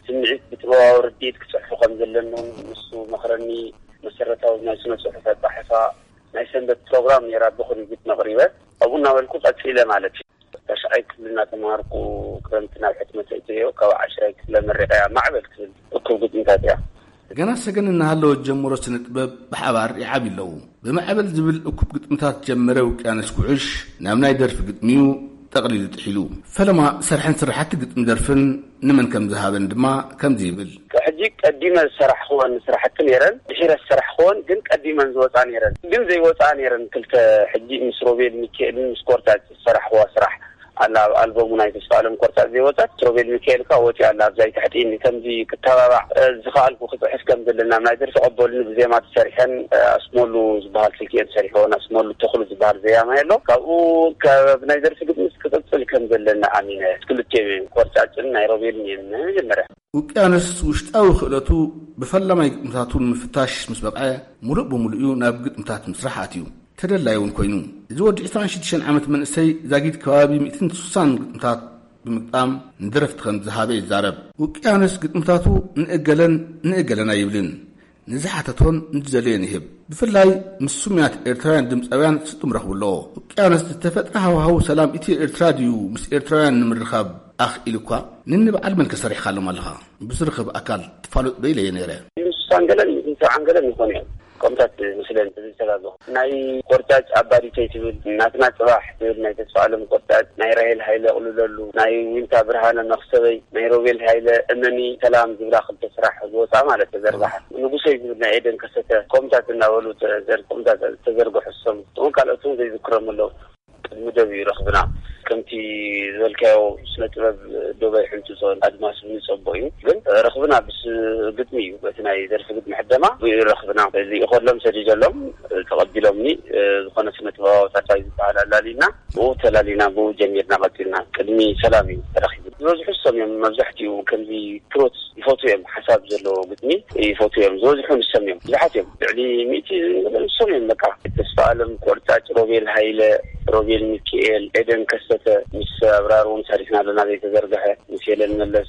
ስምዒት ብጥበባዊ ርድኢት ክጽሕፉ ከም ዘለኒ እውን ንሱ መኽረኒ። መሰረታዊ ናይ ስነ ጽሑፍ ኣጻሕፋ ናይ ሰንበት ፕሮግራም ነይራ፣ ብኹሪ ግጥሚ ኣቕሪበ። ኣብኡ እናበልኩ ቀጺለ ማለት እዩ። ታሽዓይ ክፍሊ እናተምሃርኩ ክረምቲ ናብ ሕትመት እትዮ፣ ካብ ዓሽራይ ክፍሊ መሪቐያ ማዕበል ትብል እኩብ ግጥምታት እያ። ገና ሰገን እናሃለወት ጀምሮ ስነ ጥበብ ብሓባር ይዓብዩ ኣለዉ። ብማዕበል ዝብል እኩብ ግጥምታት ጀመረ ውቅያኖስ ጉዕሽ፣ ናብ ናይ ደርፊ ግጥሚዩ ጠቕሊሉ ጥሒሉ። ፈለማ ሰርሐን ስራሕቲ ግጥሚ ደርፍን ንመን ከም ዝሃበን ድማ ከምዚ ይብል። ሕጂ ቀዲመ ዝሰራሕክወን ስራሕቲ ነይረን፣ ድሒረ ዝሰራሕክወን ግን ቀዲመን ዝወፃ ነይረን። ግን ዘይወፃ ነይረን ክልተ፣ ሕጂ ምስ ሮቤል ሚካኤልን ምስ ኮርታጭ ዝሰራሕክዋ ስራሕ ኣላ። ኣብ ኣልበሙ ናይ ተስፋ ኣለም ኮርታጭ ዘይወፀት፣ ሮቤል ሚካኤል ከኣ ወፂኣ ኣላ። ኣብዛ ኣይትሕጢኒ፣ ከምዚ ክተባባዕ፣ እ፣ ዝኸኣልኩ ክፅሕፍ ከም ዘለና ናይ ደርፊ ቀበሉኒ ብዜማ ተሰሪሐን፣ እ፣ ኣስመሉ ዝበሃል ስልኪ እየን ሰሪሐወን። ኣስመሉ ተኽሉ ዝበሃል ዘያማይ ኣሎ። ካብኡ ካብ ናይ ደርፊ ግጥምስ ክቕፅል ከም ዘለና ኣሚነ። ክልቲኦም እዮም፣ ኮርጫጭን ናይ ሮቤልን እዮም መጀመርያ። ውቅያኖስ ውሽጣዊ ክእለቱ ብፈላማይ ግጥምታቱ ንምፍታሽ ምስ በቕዐ፣ ሙሉእ ብሙሉእ እዩ ናብ ግጥምታት ምስራሕ ኣትዩ። ተደላዩ እውን ኮይኑ። እዚ ወዲ ዕስራን ሽዱሽተን ዓመት መንእሰይ ዛጊድ ከባቢ ሚእትን ስሳን ግጥምታት ብምግጣም ንደረፍቲ ከም ዝሃበ ይዛረብ። ውቅያኖስ ግጥምታቱ ንእገለን ንእገለን ኣይብልን። ንዝሓተቶን ንዝደለዮን ይህብ። ብፍላይ ምስ ስሙያት ኤርትራውያን ድምፃውያን ስጡም ረኽቡ ኣለዎ። ውቅያኖስ ዝተፈጥረ ሃዋህው ሰላም ኢትዮ ኤርትራ ድዩ ምስ ኤርትራውያን ንምርኻብ ኣኽኢሉ እኳ? ንንበዓል መን ከሰሪሕካሎም ኣለኻ? ብዝርኽብ ኣካል ትፋለጡ ዶ ኢለዮ ነይረ። ምስ ሳንገለን ምስ ሰብዓን ገለን ይኾኑ እዮም። ከምታት ምስለን ዝተጋገኹ ናይ ቆርጫጭ ኣባዲተይ ትብል፣ ናትና ጽባሕ ትብል ናይ ተስፋ ኣለም ቆርጫጭ፣ ናይ ራሄል ሃይለ ቅልለሉ፣ ናይ ዊንታ ብርሃነ መኽሰበይ፣ ናይ ሮቤል ሃይለ እመኒ ሰላም ዝብላ ክልተ ስራሕ ዝወፃ ማለት ተዘርግሓ። ንጉሰይ ዝብል ናይ ኤደን ከሰተ፣ ከምታት እናበሉ ተዘር-፣ ከምታት ተዘርግሑ ዝሰሙ። እቶም ካልኦት እውን ዘይዝክሮም ኣለዉ። ቅድሚ ደብ እዩ ረኽብና። ከምቲ ዝበልካዮ ስነ ጥበብ ዶብ ኣይሕንጽጾን ኣድማስ እውን ይጸቦ እዩ። ግን ረኽብና ብስ ግጥሚ እዩ። በቲ ናይ ደርፊ ግጥሚ ሕደማ ብኡ ረኽብና። እዚ ይኸሎም ሰዲደሎም ተቐቢሎምኒ። ዝኾነ ስነ ጥበባዊ ታታይ ዝበሃል ኣላሊና፣ ብኡ ተላሊና፣ ብኡ ጀሚርና ቀጺልና። ቅድሚ ሰላም እዩ ተረኺቡ። ዝበዝሑ ሰም እዮም፣ መብዛሕትኡ ከምዚ ትሮት ይፈትዉ እዮም። ሓሳብ ዘለዎ ግጥሚ ይፈትዉ እዮም። ዝበዝሑ ንሶም እዮም። ብዙሓት እዮም። ልዕሊ ሚእቲ ንሶም እዮም። በቃ ተስፋ ኣለም ቆርጫጭ፣ ሮቤል ሃይለ፣ ሮቤል ሚካኤል፣ ኤደን ከሰተ፣ ምስ ኣብራር እውን ሰሪሕና ኣለና ዘይተዘርግሐ፣ ምስ ሄለን መለስ፣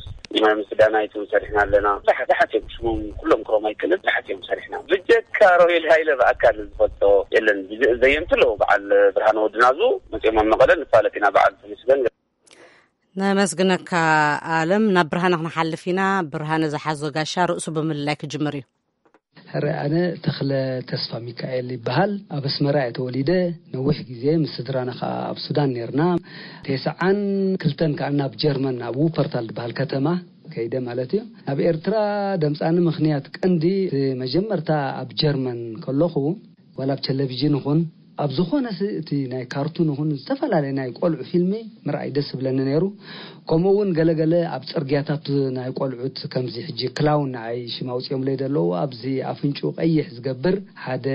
ምስ ዳናይት እውን ሰሪሕና ኣለና። ብዙሓት፣ ብዙሓት እዮም። ሽሞም ኩሎም ክሮም ኣይክእልን። ብዙሓት እዮም ሰሪሕና። ብጀካ ሮቤል ሃይለ ብኣካል ዝፈልጦ የለን። ብዘ-፣ ዘየምቲ ኣለዉ። በዓል ብርሃነ ወድናዙ መፅኦም ኣብ መቐለ ንፋለጥ ኢና። በዓል ተመስገን ነመስግነካ ኣለም። ናብ ብርሃነ ክንሓልፍ ኢና። ብርሃነ ዝሓዞ ጋሻ ርእሱ ብምልላይ ክጅምር እዩ። ሕረ ኣነ ተኽለ ተስፋ ሚካኤል ይበሃል። ኣብ ኣስመራ እየ ተወሊደ። ነዊሕ ግዜ ምስ ስድራና ከኣ ኣብ ሱዳን ኔርና። ተስዓን ክልተን ከኣ ናብ ጀርመን፣ ኣብ ውፐርታል ዝበሃል ከተማ ከይደ ማለት እዩ። ኣብ ኤርትራ ደምጻኒ ምኽንያት ቀንዲ፣ እቲ መጀመርታ ኣብ ጀርመን ከለኹ፣ ዋላ ኣብ ቴሌቪዥን ይኹን ኣብ ዝኾነ ስ-፣ እቲ ናይ ካርቱን ይኹን ዝተፈላለየ ናይ ቆልዑ ፊልሚ ምርኣይ ደስ ዝብለኒ ነይሩ። ከምኡ እውን ገለገለ ኣብ ጽርግያታት ናይ ቆልዑት ከምዚ ሕጂ ክላውን ንዓይ ሽም ኣውጺኦምለይ ዘለዉ፣ ኣብዚ ኣፍንጭኡ ቀይሕ ዝገብር ሓደ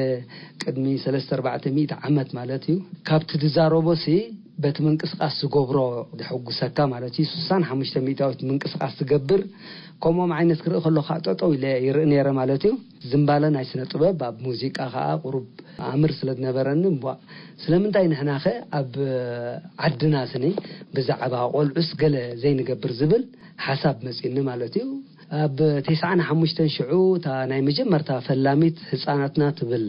ቅድሚ ሰለስተ ኣርባዕተ ሚእቲ ዓመት ማለት እዩ። ካብቲ ዝዛረቦ ሲ በቲ ምንቅስቃስ ዝገብሮ ደሐጉሰካ ማለት እዩ። ስሳን ሓሙሽተ ሚእታዊት ምንቅስቃስ ዝገብር ከምኦም ዓይነት ክርኢ ከለኹ ከዓ ጠጠው ኢለ ይርኢ ነይረ ማለት እዩ። ዝምባለ ናይ ስነ ጥበብ ኣብ ሙዚቃ ከዓ ቁሩብ ኣምር ስለ ዝነበረኒ እምቧእ ስለምንታይ ንሕናኸ ኣብ ዓድና ስኒ ብዛዕባ ቆልዑስ ገለ ዘይንገብር ዝብል ሓሳብ መፂኒ ማለት እዩ። ኣብ ተስዓን ሓሙሽተን ሽዑ እታ ናይ መጀመርታ ፈላሚት ህጻናትና ትብል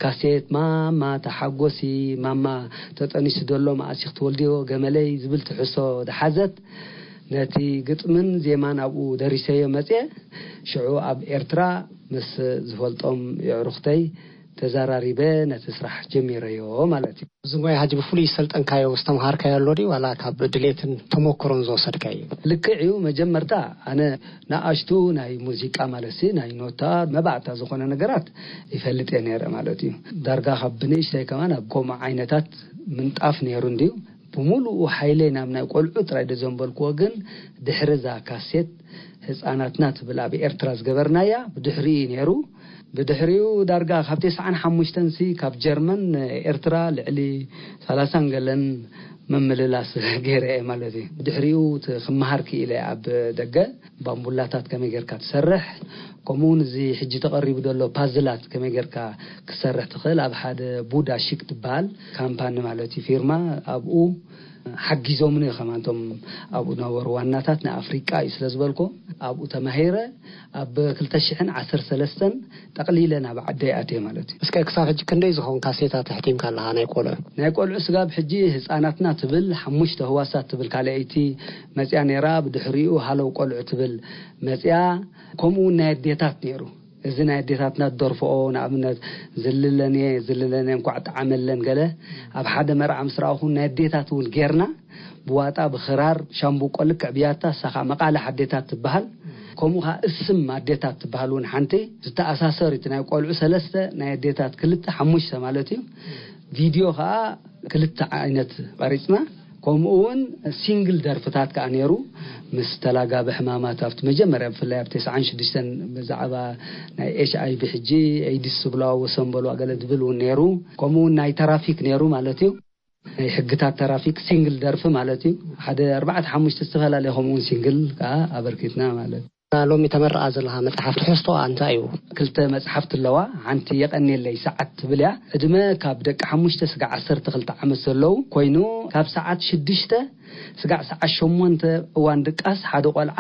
ካሴት፣ ማማ ተሓጎሲ፣ ማማ ተጠኒሱ ደሎ መኣስ ክትወልድዮ ገመለይ ዝብል ትሕሶ ዝሓዘት፣ ነቲ ግጥምን ዜማን ኣብኡ ደሪሰዮ መጽየ። ሽዑ ኣብ ኤርትራ ምስ ዝፈልጦም የዕሩኽተይ ተዘራሪበ ነቲ ስራሕ ጀሚረዮ ማለት እዩ። እዚ ሞያ ሕጂ ብፍሉይ ዝሰልጠንካዮ፣ ዝተምሃርካዮ ኣሎ ድዩ፣ ዋላ ካብ ድሌትን ተመክሮን ዝወሰድካዮ? ልክዕ እዩ። መጀመርታ ኣነ ንኣሽቱ ናይ ሙዚቃ፣ ማለት ሲ ናይ ኖታ መባእታ ዝኾነ ነገራት ይፈልጥ እየ ነይረ ማለት እዩ። ዳርጋ ካብ ብንእሽተይ ከማን ኣብ ከምኡ ዓይነታት ምንጣፍ ነይሩ እንድዩ። ብምሉኡ ሓይለይ ናብ ናይ ቆልዑ ጥራይ ዶ ዘንበልክዎ፣ ግን ድሕሪ እዛ ካሴት ህፃናትና ትብል ኣብ ኤርትራ ዝገበርናያ፣ ብድሕሪኡ እዩ ነይሩ። ብድሕሪኡ ዳርጋ ካብ ተስዓን ሓሙሽተን ሲ ካብ ጀርመን ኤርትራ ልዕሊ ሰላሳን ገለን ምምልላስ ገይረ እየ ማለት እዩ። ብድሕሪኡ እቲ ክመሃር ክኢለ ኣብ ደገ ባምቡላታት ከመይ ጌርካ ትሰርሕ፣ ከምኡ እውን እዚ ሕጂ ተቐሪቡ ዘሎ ፓዝላት ከመይ ጌርካ ክትሰርሕ ትኽእል፣ ኣብ ሓደ ቡዳ ሺክ ትበሃል ካምፓኒ ማለት እዩ፣ ፊርማ፣ ኣብኡ ሓጊዞምኒ ከማን እቶም ኣብኡ ነበሩ ዋናታት። ንኣፍሪቃ እዩ ስለ ዝበልኮ ኣብኡ ተማሂረ። ኣብ ክልተ ሽሕን ዓሰርተ ሰለስተን ጠቕሊለ ናብ ዓደይ ኣትየ ማለት እዩ። እስከ ክሳብ ሕጂ ክንደይ ዝኸውን ካሴታት ኣሕቲምካ ኣለኻ ናይ ቆልዑ? ናይ ቆልዑ ስጋብ ሕጂ ህፃናትና ትብል ሓሙሽተ ህዋሳት ትብል ካልኣይቲ መፅያ ነይራ። ብድሕሪኡ ሃለው ቆልዑ ትብል መፅያ። ከምኡ እውን ናይ ኣዴታት ነይሩ። እዚ ናይ ኣዴታትና ዝደርፍኦ፣ ንኣብነት፣ ዝልለንየ ዝልለንየ እንኳዕ ጠዓመለን ገለ፣ ኣብ ሓደ መርዓ ምስ ረኣኹ ናይ ኣዴታት እውን ጌርና፣ ብዋጣ ብኽራር ሻምብቆ ልክዕ ብያታ፣ እሳ ኸዓ መቓልሕ ኣዴታት ትበሃል። ከምኡ ኸዓ እስም ኣዴታት ትበሃል እውን ሓንቲ። ዝተኣሳሰር እቲ ናይ ቆልዑ ሰለስተ፣ ናይ ኣዴታት ክልተ፣ ሓሙሽተ ማለት እዩ። ቪድዮ ኸዓ ክልተ ዓይነት ቐሪጽና። ከምኡ እውን ሲንግል ደርፍታት ከኣ ነይሩ። ምስ ተላጋቢ ሕማማት ኣብቲ መጀመርያ፣ ብፍላይ ኣብ ተስዓን ሽዱሽተን ብዛዕባ ናይ ኤች ኣይ ቪ ሕጂ ኤይድስ ዝብልዋ ወሰን በልዋ ገለ ዝብል እውን ነይሩ። ከምኡ እውን ናይ ተራፊክ ነይሩ ማለት እዩ። ናይ ሕግታት ተራፊክ ሲንግል ደርፊ ማለት እዩ። ሓደ ኣርባዕተ ሓሙሽተ ዝተፈላለየ ከምኡ እውን ሲንግል ከኣ ኣበርኪትና ማለት እዩ። ሎሚ ተመርቓ ዘለኻ መጽሓፍ ትሕዝቶኣ እንታይ እዩ? ክልተ መጽሓፍቲ ኣለዋ። ሓንቲ የቐኔለይ ሰዓት ትብል እያ። ዕድመ ካብ ደቂ ሓሙሽተ ስጋዕ ዓሰርተ ክልተ ዓመት ዘለዉ ኮይኑ፣ ካብ ሰዓት ሽዱሽተ ስጋዕ ሰዓት ሸሞንተ እዋን ድቃስ ሓደ ቆልዓ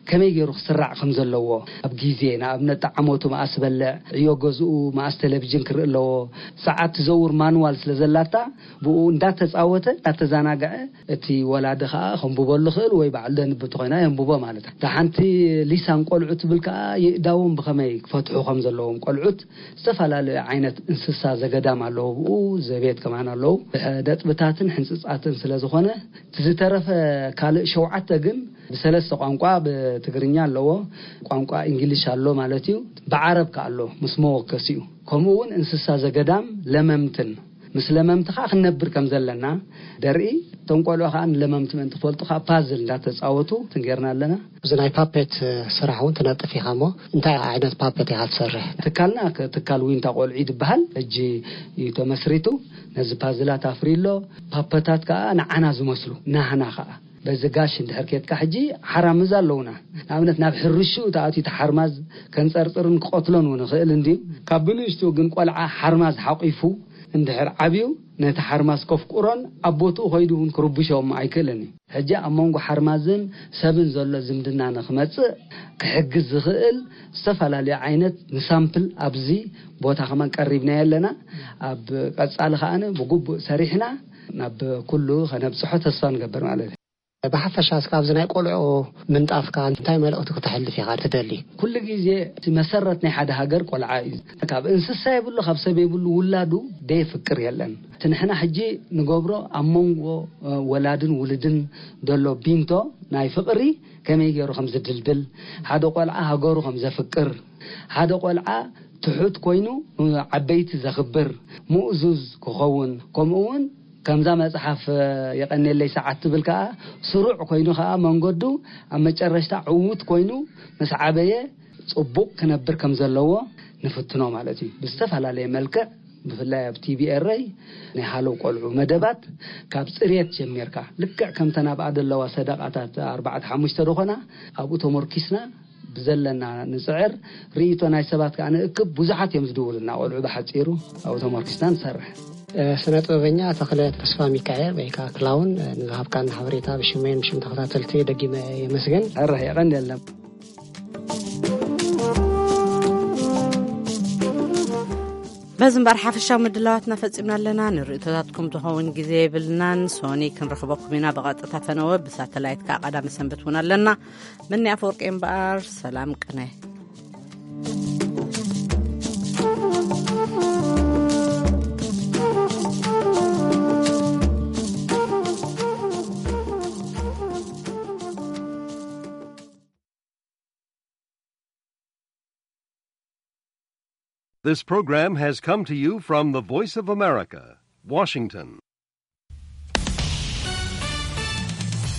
ከመይ ገይሩ ክስራዕ ከም ዘለዎ፣ ኣብ ግዜ፣ ንኣብነት፣ ጠዓሞቱ መኣስ በልዕ፣ ዕዮ ገዝኡ መኣስ ቴሌቪዥን ክርኢ ኣለዎ፣ ሰዓት ትዘውር ማንዋል ስለ ዘላታ፣ ብኡ እንዳተጻወተ፣ እንዳተዛናግዐ፣ እቲ ወላዲ ከኣ ከንብበሉ ክእል ወይ ባዕሉ ደንቢ እንተኾይና የንብቦ ማለት እዩ። እታ ሓንቲ ሊሳን ቆልዑ ትብል ከኣ ይእዳዎም ብኸመይ ክፈትሑ ከም ዘለዎም ቆልዑት፣ ዝተፈላለዩ ዓይነት እንስሳ ዘገዳም ኣለዉ፣ ብኡ ዘቤት ከማን ኣለዉ። ብነጥብታትን ሕንጽጻትን ስለ ዝኾነ፣ እቲ ዝተረፈ ካልእ ሸውዓተ ግን ብሰለስተ ቋንቋ፣ ብትግርኛ ኣለዎ፣ ቋንቋ እንግሊሽ ኣሎ ማለት እዩ፣ ብዓረብ ከኣ ኣሎ ምስ መወከሲኡ። ከምኡ እውን እንስሳ ዘገዳም ለመምትን ምስ ለመምቲ ኸዓ ክንነብር ከም ዘለና ደርኢ። እቶም ቆልዑ ኸዓ ንለመምቲ ምእንቲ ክፈልጡ ኸዓ ፓዝል እንዳተጻወቱ ትንጌርና ኣለና። እዚ ናይ ፓፔት ስራሕ እውን ትነጥፍ ኢኻ እሞ፣ እንታይ ዓይነት ፓፔት ኢኻ ትሰርሕ? ትካልና ክ-፣ ትካል ዊንታ ቆልዑ ይድበሃል። ሕጂ እዩ ተመስሪቱ። ነዚ ፓዝላት ኣፍርዩ ኣሎ። ፓፐታት ከኣ ንዓና ዝመስሉ፣ ናህና ከኣ። በዚ ጋሽ እንድሕር ኬድካ ሕጂ ሓራምዝ ኣለዉና። ንኣብነት ናብ ሕርሽኡ ተኣትዩ እቲ ሓርማዝ ከንጸርጽርን ክቐትሎን እውን ይኽእል እንድዩ። ካብ ብንእሽትኡ ግን ቆልዓ ሓርማዝ ሓቂፉ እንድሕር ዓብዩ ነቲ ሓርማዝ ከፍቁሮን ኣብ ቦትኡ ከይዱ እውን ክርብሾ እሞ ኣይክእልን እዩ። ሕጂ ኣብ መንጎ ሓርማዝን ሰብን ዘሎ ዝምድና ንኽመጽእ ክሕግዝ ዝኽእል ዝተፈላለዩ ዓይነት ንሳምፕል ኣብዚ ቦታ ከማን ቀሪብናዮ ኣለና። ኣብ ቀጻሊ ከኣ ብግቡእ ሰሪሕና ናብ ኩሉ ከነብጽሖ ተስፋ ንገብር ማለት እዩ። ብሓፈሻ እስከ ኣብዚ ናይ ቆልዑ ምንጣፍካ እንታይ መልእኽቲ ክተሕልፍ ኢኻ ትደሊ? ኩሉ ግዜ እቲ መሰረት ናይ ሓደ ሃገር ቆልዓ እዩ። ካብ እንስሳ የብሉ፣ ካብ ሰብ የብሉ፣ ውላዱ ደየፍቅር የለን። እቲ ንሕና ሕጂ ንገብሮ ኣብ መንጎ፣ እ፣ ወላድን ውሉድን ዘሎ ቢንቶ ናይ ፍቕሪ ከመይ ገይሩ ከም ዝድልድል፣ ሓደ ቆልዓ ሃገሩ ከም ዘፍቅር፣ ሓደ ቆልዓ ትሑት ኮይኑ፣ እ፣ ዓበይቲ ዘኽብር፣ ምእዙዝ ክኸውን፣ ከምኡ እውን ከምዛ መጽሓፍ፣ እ፣ የቐኔለይ ሰዓት ትብል ከኣ ስሩዕ ኮይኑ ከኣ መንገዱ ኣብ መጨረሽታ ዕዉት ኮይኑ ምስ ዓበየ ጽቡቕ ክነብር ከም ዘለዎ ንፍትኖ ማለት እዩ። ብዝተፈላለየ መልክዕ፣ ብፍላይ ኣብ ቲ ቢ ኤር ኣይ ናይ ሃለው ቆልዑ መደባት፣ ካብ ጽርየት ጀሚርካ፣ ልክዕ ከምተን ኣብኣ ዘለዋ ሰደቓታት ኣርባዕተ ሓሙሽተ ዝኾና ኣብኡ ተመርኪስና ብዘለና ንጽዕር፣ ርእይቶ ናይ ሰባት ከኣ ንእክብ። ብዙሓት እዮም ዝድውሉና ቆልዑ፣ ብሓጺሩ ኣብኡ ተመርኪስና ንሰርሕ። እ፣ ስነ ጥበበኛ ተኽለ ተስፋ ሚካኤል ወይ ከኣ ክላውን፣ እ፣ ንዝሃብካና ሓበሬታ ብሽመይን ብሽም ተኸታተልቲ ደጊመ የመስግን። ሕራይ የቐንየልና። በዚ እምበር ሓፈሻዊ ምድላዋትና ፈጺምና ኣለና። ንርእይቶታትኩም ዝኸውን ግዜ የብልናን። ሶኒ ክንረኽበኩም ኢና ብቐጥታ ፈነወ፣ ብሳተላይት ከኣ ቀዳመ ሰንበት እውን ኣለና። ምኒ ኣፈወርቂ እምበኣር፣ ሰላም ቅነ። This program has come to you from the Voice of America, Washington.